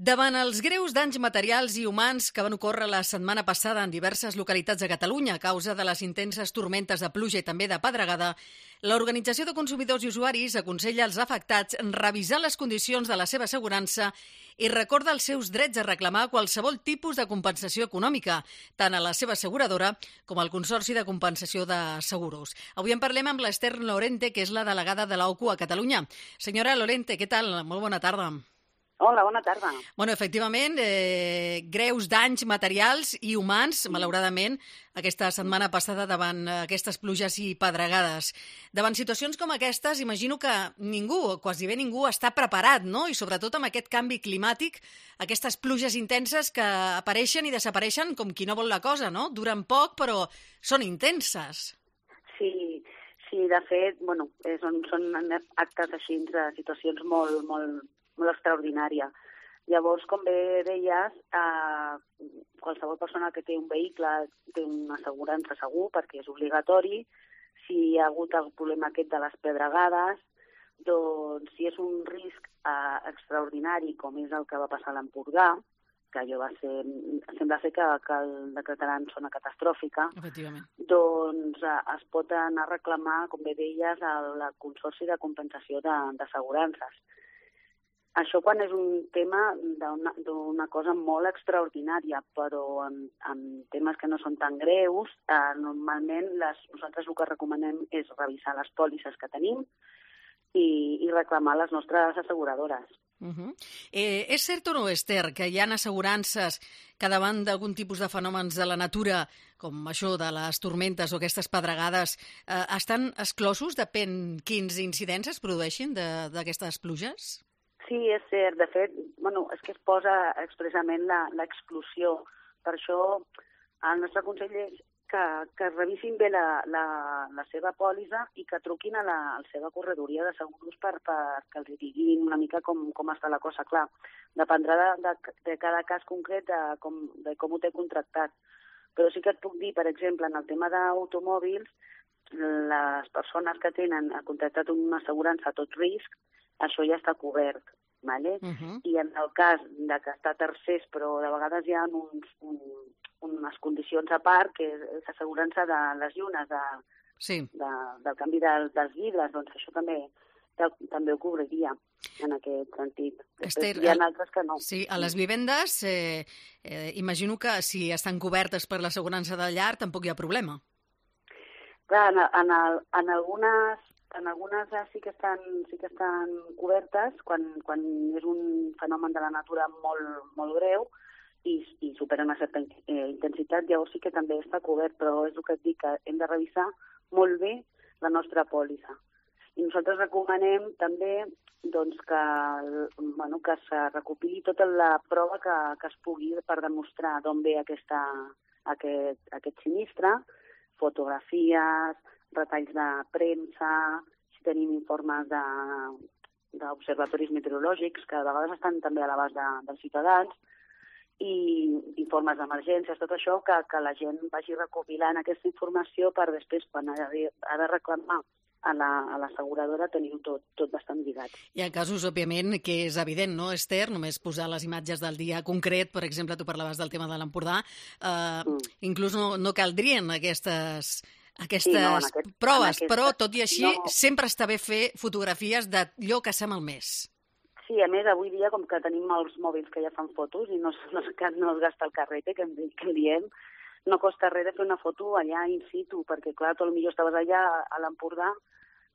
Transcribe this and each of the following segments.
Davant els greus danys materials i humans que van ocórrer la setmana passada en diverses localitats de Catalunya a causa de les intenses tormentes de pluja i també de pedregada, l'Organització de Consumidors i Usuaris aconsella als afectats revisar les condicions de la seva assegurança i recorda els seus drets a reclamar qualsevol tipus de compensació econòmica, tant a la seva asseguradora com al Consorci de Compensació de Seguros. Avui en parlem amb l'Esther Lorente, que és la delegada de l'OCU a Catalunya. Senyora Lorente, què tal? Molt bona tarda. Hola, bona tarda. Bueno, efectivament, greus danys materials i humans, malauradament, aquesta setmana passada davant aquestes pluges i pedregades. Davant situacions com aquestes, imagino que ningú, o quasi bé ningú, està preparat, no? I sobretot amb aquest canvi climàtic, aquestes pluges intenses que apareixen i desapareixen com qui no vol la cosa, no? Duren poc, però són intenses. Sí, de fet, bueno, són actes així de situacions molt extraordinària. Llavors, com bé deies, qualsevol persona que té un vehicle té una assegurança segur, perquè és obligatori. Si hi ha hagut el problema aquest de les pedregades, doncs si és un risc extraordinari, com és el que va passar a l'Empordà, que allò va ser, sembla ser que el decretaran zona catastròfica, doncs es pot anar a reclamar, com bé deies, al Consorci de Compensació d'Assegurances. Això quan és un tema d'una cosa molt extraordinària, però en temes que no són tan greus, normalment nosaltres el que recomanem és revisar les pòlisses que tenim i reclamar les nostres asseguradores. És cert o no, Esther, que hi ha assegurances que davant d'algun tipus de fenòmens de la natura, com això de les tormentes o aquestes pedregades, estan exclosos, depèn quins incidents es produeixin d'aquestes pluges? Sí, és cert. De fet, és que es posa expressament l'exclusió. Per això el nostre consell és que revisin bé la seva pòlissa i que truquin a la seva corredoria de seguros perquè els diguin una mica com està la cosa. Clar, dependrà de cada cas concret de com ho té contractat. Però sí que et puc dir, per exemple, en el tema d'automòbils, les persones que tenen contractat una assegurança a tot risc, això ja està cobert, ¿vale? I en el cas de que està a tercers, però de vegades hi ha unes condicions a part, que és assegurança de les llunes, del canvi dels vidres, doncs això també ho cobriria en aquest sentit. Esther, hi ha altres que no. Sí, a les vivendes, imagino que si estan cobertes per l'assegurança de llar tampoc hi ha problema. Clar, en algunes sí que estan cobertes quan és un fenomen de la natura molt greu i supera una certa intensitat, llavors sí que també està cobert, però és el que et dic, que hem de revisar molt bé la nostra pòlissa. I nosaltres recomanem també que se recopili tota la prova que es pugui per demostrar d'on ve aquest sinistre, fotografies, retalls de premsa, si tenim informes d'observatoris meteorològics, que a vegades estan també a l'abast dels ciutadans, i informes d'emergències, tot això, que la gent vagi recopilant aquesta informació per després, quan ha de reclamar a l'asseguradora, tenir-ho tot bastant lligat. Hi ha casos, òbviament, que és evident, no, Esther? Només posar les imatges del dia concret, per exemple, tu parlaves del tema de l'Empordà, inclús no caldrien aquestes proves, però tot i així sempre està bé fer fotografies d'allò que s'ha malmès. Sí, a més, avui dia, com que tenim els mòbils que ja fan fotos i no es gasta el carrete, que diem, no costa res de fer una foto allà in situ, perquè, clar, tu potser estaves allà a l'Empordà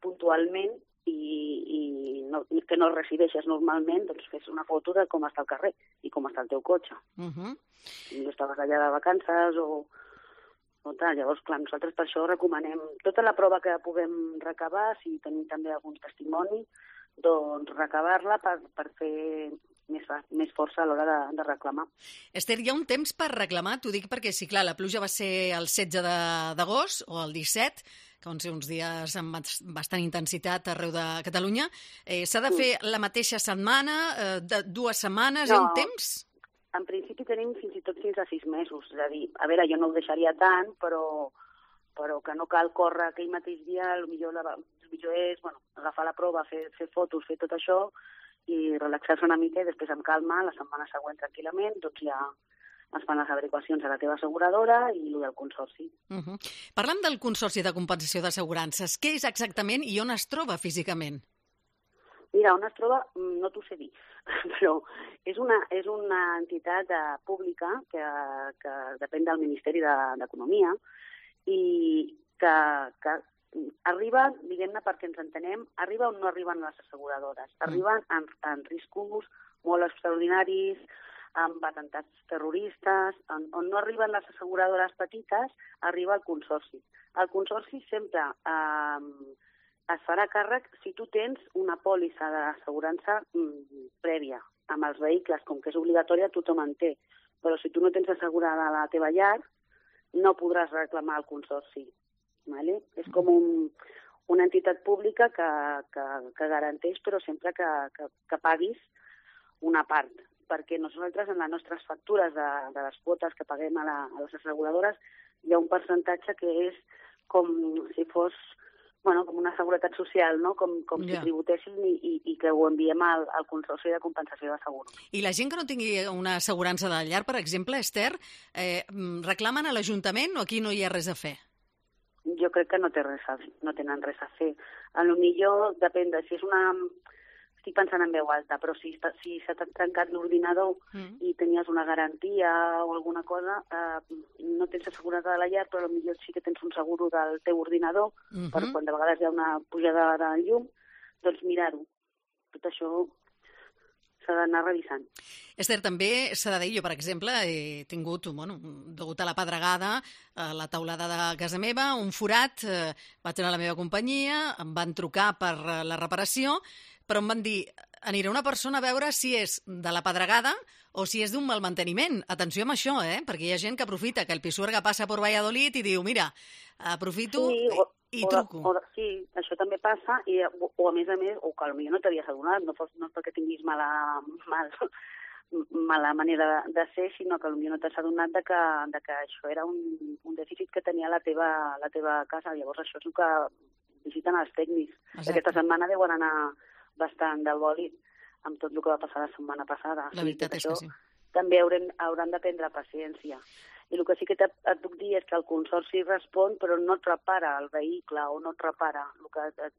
puntualment i que no resideixes normalment, doncs fes una foto de com està el carrer i com està el teu cotxe. Potser estaves allà de vacances o tal. Llavors, clar, nosaltres per això recomanem tota la prova que puguem recabar, si tenim també algun testimoni, doncs recabar-la per fer més força a l'hora de reclamar. Esther, hi ha un temps per reclamar? T'ho dic perquè, sí, clar, la pluja va ser el 16 d'agost o el 17, que van ser uns dies amb bastant intensitat arreu de Catalunya. S'ha de fer la mateixa setmana, 2 setmanes, hi ha un temps? En principi tenim fins a 6 mesos. És a dir, a veure, jo no ho deixaria tant, però que no cal córrer aquell mateix dia, el millor és agafar la prova, fer fotos, fer tot això, i relaxar-se una mica i després amb calma, la setmana següent tranquil·lament, doncs ja es fan les averiguacions a la teva asseguradora i el del consorci. Parlem del Consorci de Compensació d'Assegurances. Què és exactament i on es troba físicament? Mira, on es troba no t'ho sé dir, però és una entitat pública que depèn del Ministeri d'Economia i que arriba, diguem-ne perquè ens entenem, arriba on no arriben les asseguradores. Arriben en riscos molt extraordinaris, amb atemptats terroristes, on no arriben les asseguradores petites, arriba el consorci. El consorci sempre es farà càrrec si tu tens una pòlissa d'assegurança prèvia amb els vehicles, com que és obligatòria, tothom en té. Però si tu no tens assegurada la teva llar, no podràs reclamar el consorci. Vale? És com una entitat pública que garanteix, però sempre que paguis una part, perquè nosaltres en les nostres factures de les quotes que paguem a les asseguradores hi ha un percentatge que és com si fos com una seguretat social, no? Com si tributéssim i que ho enviem al Consorci de Compensació de Seguros. I la gent que no tingui una assegurança de llar, per exemple, Esther, reclamen a l'Ajuntament o aquí no hi ha res a fer? Jo crec que no tenen res a fer. A lo millor depèn de si és una... Estic pensant en veu alta, però si s'ha trencat l'ordinador i tenies una garantia o alguna cosa, no tens assegurada de la llar, però potser sí que tens un seguro del teu ordinador, per quan de vegades hi ha una pujada de llum, doncs mirar-ho. Tot això s'ha d'anar revisant. Esther, també s'ha de dir, jo, per exemple, he tingut, degut a la pedregada, a la teulada de casa meva, un forat, vaig anar a la meva companyia, em van trucar per la reparació, però em van dir, anirà una persona a veure si és de la pedregada o si és d'un mal manteniment. Atenció amb això, perquè hi ha gent que aprofita que el Pisuerga passa per Valladolid i diu, mira, aprofito i truco. Sí, això també passa, o a més, o que potser no t'havies adonat, no és perquè tinguis mala manera de ser, sinó que potser no t'has adonat de que això era un dèficit que tenia la teva casa. Llavors això és el que visiten els tècnics. Aquesta setmana deuen anar bastant del bòlit amb tot el que va passar la setmana passada. La veritat és que sí. També hauran de prendre paciència. I el que sí que et puc dir és que el consorci respon, però no et repara el vehicle o no et repara. El que et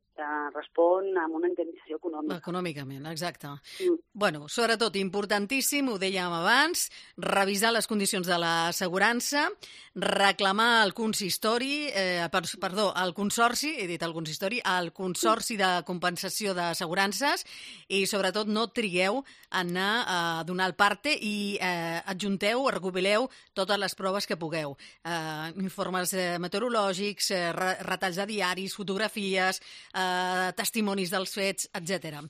respon amb una indemnització econòmica. Econòmicament, exacte. Bueno, sobretot, importantíssim, ho dèiem abans, revisar les condicions de l'assegurança, reclamar el consorci, he dit el consistori, el Consorci de Compensació d'Assegurances i, sobretot, no trigueu a anar a donar el parte i adjunteu, recopileu totes les proves que pugueu. Informes meteorològics, retalls de diaris, fotografies, testimonis dels fets, etc.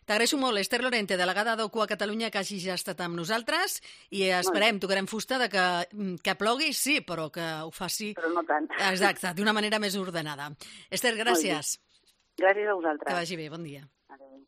T'agraeixo molt, Esther Lorente, delegada d'OCU a Catalunya, que hagis estat amb nosaltres i esperem, tocarem fusta de que plogui, sí, però que ho faci... Però no tant. Exacte, d'una manera més ordenada. Esther, gràcies. Gràcies a vosaltres. Que vagi bé, bon dia. Adéu.